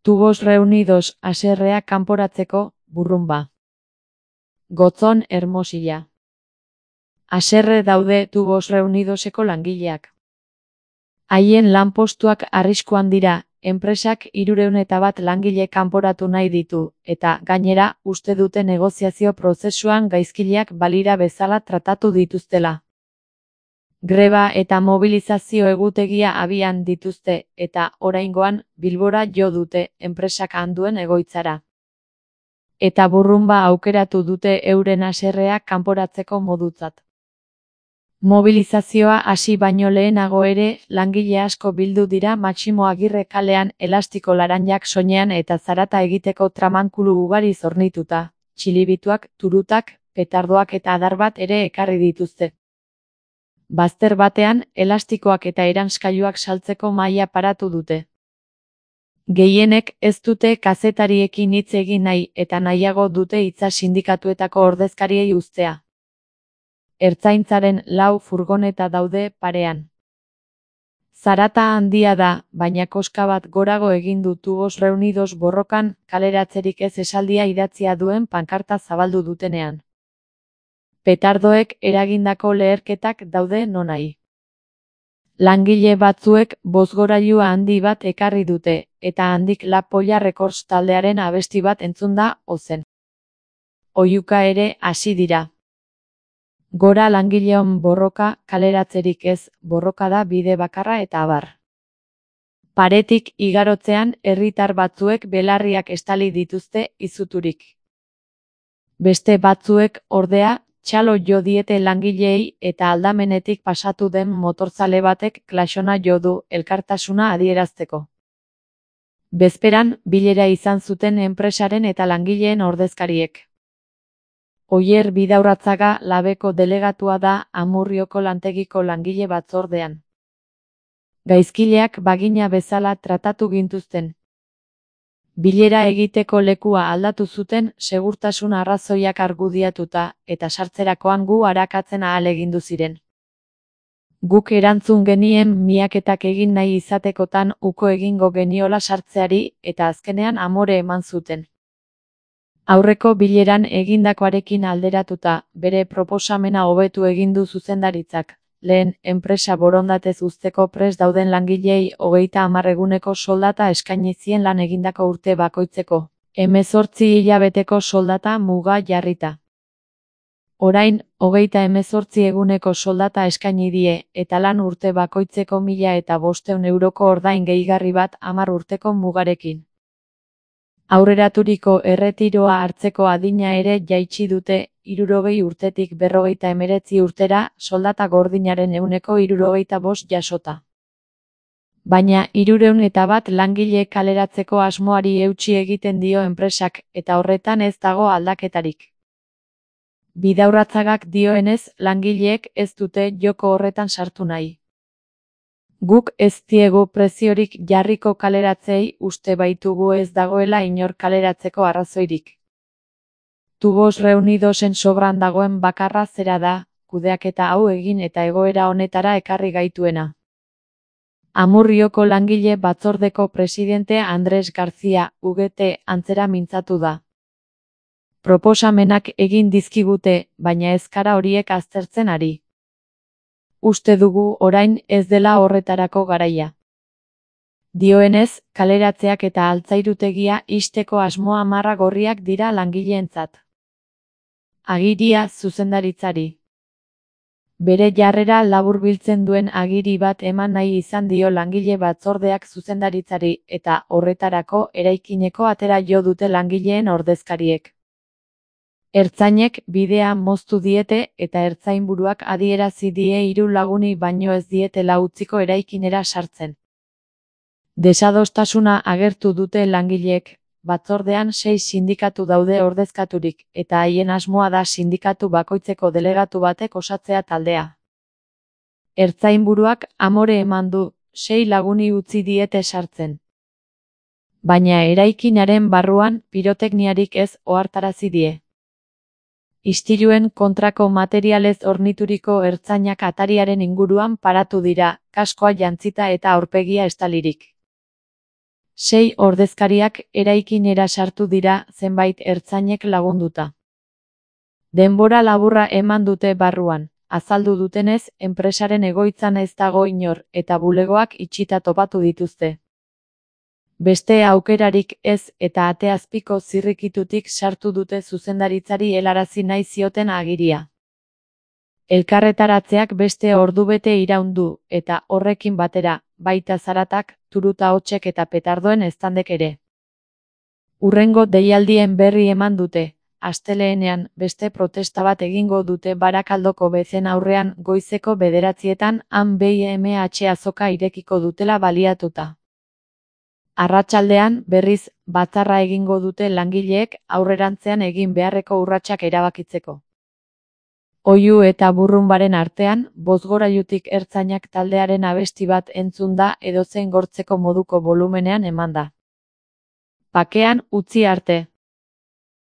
Tubos reunidos haserrea kanporatzeko burrunba. Gotzon Hermosilla. Haserre daude Tubos reunidoseko langileak. Haien lanpostuak arriskuan dira, enpresak 301 langile kanporatu nahi ditu, eta gainera uste dute negoziazio prozesuan gaizkileak balira bezala tratatu dituztela. Greba eta mobilizazio egutegia abian dituzte, eta oraingoan Bilbora jo dute enpresak handuen egoitzara. Eta burrunba aukeratu dute euren haserrea kanporatzeko modutzat. Mobilizazioa hasi baino lehenago ere, langile asko bildu dira Maximo Agirre kalean elastiko laranjak soinean eta zarata egiteko tramankulu ugari zornituta, txilibituak, turutak, petardoak eta adar bat ere ekarri dituzte. Bazter batean, elastikoak eta eranskailuak saltzeko mahaia paratu dute. Gehienek ez dute kazetariekin hitz egin nahi eta nahiago dute hitza sindikatuetako ordezkariei uztea. Ertzaintzaren 4 furgoneta daude parean. Zarata handia da, baina koska bat gorago egin du Tubos reunidos borrokan kaleratzerik ez esaldia idatzia duen pankarta zabaldu dutenean. Petardoek eragindako leherketak daude nonahi. Langile batzuek bozgorailua handi bat ekarri dute, eta handik La Polla Records taldearen abesti bat entzun da ozen. Oihuka ere hasi dira. Gora langileon borroka, kaleratzerik ez, borroka da bide bakarra eta abar. Paretik igarotzean herritar batzuek belarriak estali dituzte izuturik. Beste batzuek, ordea, txalo jo diete langileei eta aldamenetik pasatu den motorzale batek klaxona jo du elkartasuna adierazteko. Bezperan, bilera izan zuten enpresaren eta langileen ordezkariek. Oier Bidaurratzaga Labeko delegatua da Amurrioko lantegiko langile batzordean. Gaizkileak bagina bezala tratatu gintuzten. Bilera egiteko lekua aldatu zuten segurtasun arrazoiak argudiatuta eta sartzerakoan gu arakatzen ahalegindu ziren. Guk erantzun genien miaketak egin nahi izatekotan uko egingo geniola sartzeari eta azkenean amore eman zuten. Aurreko bileran egindakoarekin alderatuta, bere proposamena hobetu egin du zuzendaritzak. Lehen, enpresa borondatez uzteko prest dauden langileei 30 eguneko soldata eskaini zien lan egindako urte bakoitzeko, 18 hilabeteko soldata muga jarrita. Orain, 38 eguneko soldata eskaini die, eta lan urte bakoitzeko 1.500 euroko ordain gehigarri bat 10 urteko mugarekin. Aurreraturiko erretiroa hartzeko adina ere jaitsi dute, 60 urtetik 59 urtera, soldata gordinaren 65% jasota. Baina 301 langile kaleratzeko asmoari eutsi egiten dio enpresak, eta horretan ez dago aldaketarik. Bidaurratzagak dioenez, langileek ez dute joko horretan sartu nahi. Guk ez diegu preziorik jarriko kaleratzei, uste baitugu ez dagoela inor kaleratzeko arrazoirik. Tubos reunidosen sobran dagoen bakarra zera da, kudeaketa hau egin eta egoera honetara ekarri gaituena. Amurrioko langile batzordeko presidente Andres García, UGT, antzera mintzatu da. Proposamenak egin dizkigute, baina ez gara horiek aztertzen ari. Uste dugu orain ez dela horretarako garaia. Dioenez, kaleratzeak eta altzairutegia ixteko asmoa marra gorriak dira langileentzat. Agiria zuzendaritzari. Bere jarrera laburbiltzen duen agiri bat eman nahi izan dio langile batzordeak zuzendaritzari eta horretarako eraikineko atera jo dute langileen ordezkariek. Ertzainek bidea moztu diete eta ertzainburuak adierazi die 3 laguni baino ez dietela utziko eraikinera sartzen. Desadostasuna agertu dute langileek, batzordean 6 sindikatu daude ordezkaturik, eta haien asmoa da sindikatu bakoitzeko delegatu batek osatzea taldea. Ertzainburuak amore eman du, 6 laguni utzi diete sartzen. Baina eraikinaren barruan pirotekniarik ez ohartarazi die. Istiluen kontrako materialez hornituriko ertzainak atariaren inguruan paratu dira, kaskoa jantzita eta aurpegia estalirik. 6 ordezkariak eraikinera sartu dira zenbait ertzainek lagunduta. Denbora laburra eman dute barruan, azaldu dutenez, enpresaren egoitzan ez dago inor eta bulegoak itxita topatu dituzte. Beste aukerarik ez eta ateazpiko zirrikitutik sartu dute zuzendaritzari helarazi nahi zioten agiria. Elkarretaratzeak beste ordubete iraun du, eta horrekin batera, baita zaratak, turuta hotsek eta petardoen eztandek ere. Hurrengo deialdien berri eman dute, astelehenean beste protesta bat egingo dute Barakaldoko bezen aurrean goizeko 9etan han BIMH azoka irekiko dutela baliatuta. Arratsaldean, berriz, batzarra egingo dute langileek aurrerantzean egin beharreko urratsak erabakitzeko. Oihu eta burrunbaren artean, bozgorailutik ertzainak taldearen abesti bat entzun da edozein gortzeko moduko bolumenean emanda. Bakean utzi arte.